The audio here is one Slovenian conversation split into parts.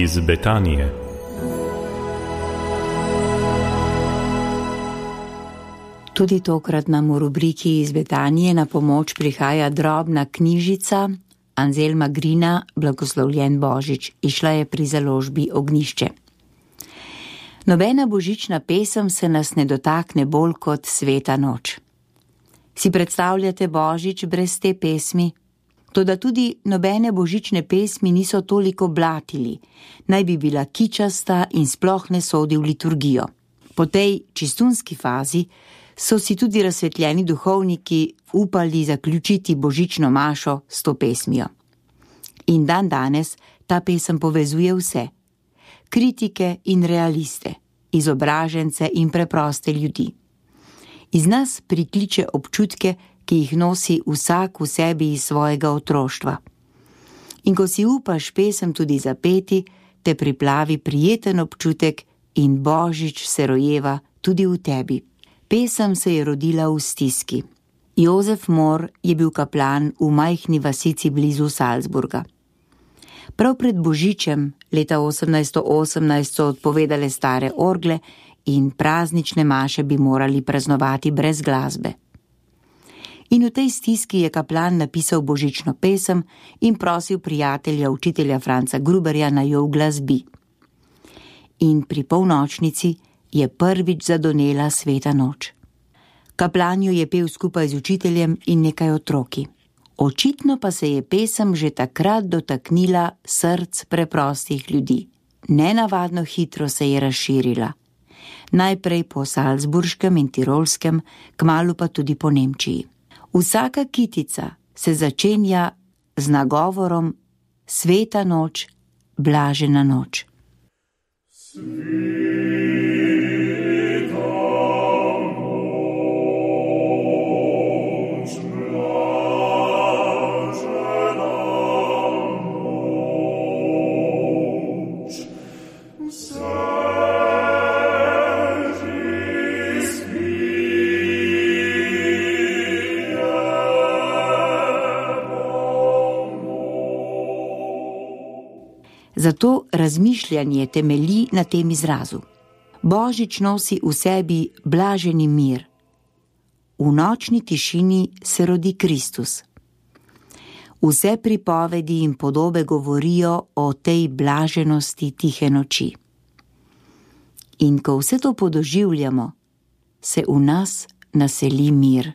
iz Betanije. Tudi tokrat nam v rubriki iz Betanije na pomoč prihaja drobna knjižica Anselma Grina Blagoslovljen Božič. Izšla je pri založbi Ognjišče. Nobena božična pesem se nas ne dotakne bolj kot Sveta noč. Si predstavljate Božič brez te pesmi? Toda tudi nobene božične pesmi niso toliko blatili, naj bi bila kičasta in sploh ne sodi v liturgijo. Po tej čistunski fazi so si tudi razsvetljeni duhovniki upali zaključiti božično mašo s to pesmijo. In danes ta pesem povezuje vse. Kritike in realiste, izobražence in preproste ljudi. Iz nas prikliče občutke, ki jih nosi vsak v sebi iz svojega otroštva. In ko si upaš pesem tudi zapeti, te priplavi prijeten občutek in Božič se rojeva tudi v tebi. Pesem se je rodila v stiski. Jozef Mor je bil kaplan v majhni vasici blizu Salzburga. Prav pred Božičem leta 1818 so odpovedale stare orgle in praznične maše bi morali praznovati brez glasbe. In v tej stiski je kaplan napisal božično pesem in prosil prijatelja, učitelja Franca Gruberja, naj jo uglasbi. In pri polnočnici je prvič zadonela Sveta noč. Kaplan jo je pel skupaj z učiteljem in nekaj otroki. Očitno pa se je pesem že takrat dotaknila src preprostih ljudi. Nenavadno hitro se je razširila. Najprej po Salzburškem in Tirolskem, kmalu pa tudi po Nemčiji. Vsaka kitica se začenja z nagovorom Sveta noč, blažena noč. Zato razmišljanje temelji na tem izrazu. Božič nosi v sebi blaženi mir. V nočni tišini se rodi Kristus. Vse pripovedi in podobe govorijo o tej blaženosti tihe noči. In ko vse to podoživljamo, se v nas naseli mir.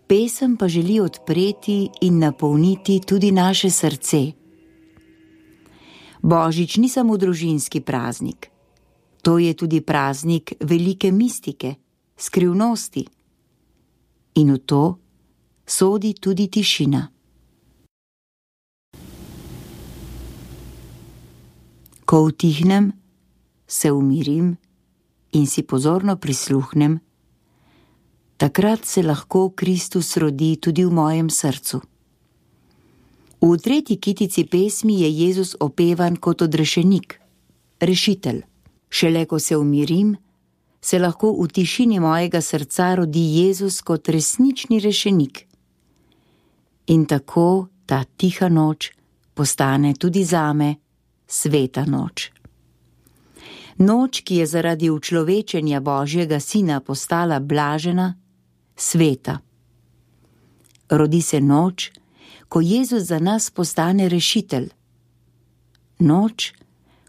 Pesem pa želi odpreti in napolniti tudi naše srce. Božič ni samo družinski praznik. To je tudi praznik velike mistike, skrivnosti. In v to sodi tudi tišina. Ko utihnem, se umirim in si pozorno prisluhnem, takrat se lahko Kristus rodi tudi v mojem srcu. V tretji kitici pesmi je Jezus opevan kot odrešenik, rešitelj. Šele ko se umirim, se lahko v tišini mojega srca rodi Jezus kot resnični rešenik. In tako ta tiha noč postane tudi zame sveta noč. Noč, ki je zaradi učlovečenja Božjega Sina postala blažena, sveta. Rodi se noč, ko Jezus za nas postane rešitelj. Noč,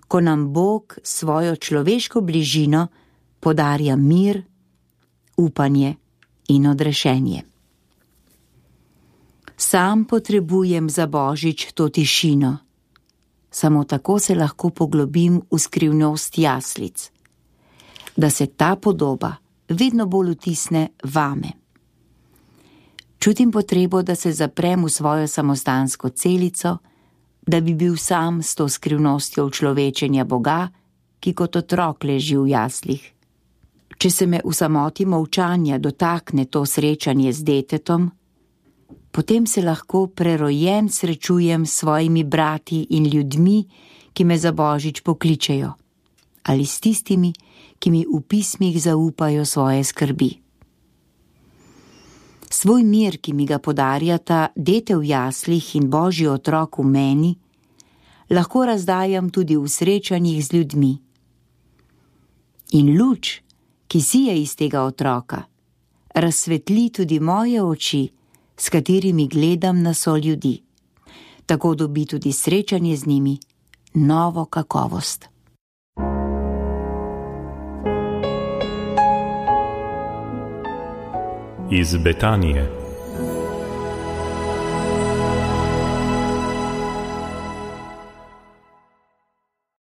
ko nam Bog svojo človeško bližino podarja mir, upanje in odrešenje. Sam potrebujem za Božič to tišino. Samo tako se lahko poglobim v skrivnost jaslic, da se ta podoba vedno bolj vtisne vame. Čutim potrebo, da se zaprem v svojo samostansko celico, da bi bil sam s to skrivnostjo učlovečenja Boga, ki kot otrok leži v jaslih. Če se me v samoti molčanja dotakne to srečanje z detetom, potem se lahko prerojen srečujem s svojimi brati in ljudmi, ki me za božič pokličejo, ali s tistimi, ki mi v pismih zaupajo svoje skrbi. Svoj mir, ki mi ga podarjata dete v jaslih in božji otrok v meni, lahko razdajam tudi v srečanjih z ljudmi. In luč, ki sije iz tega otroka, razsvetli tudi moje oči, s katerimi gledam na soljudi. Tako dobi tudi srečanje z njimi novo kakovost. Iz Betanije.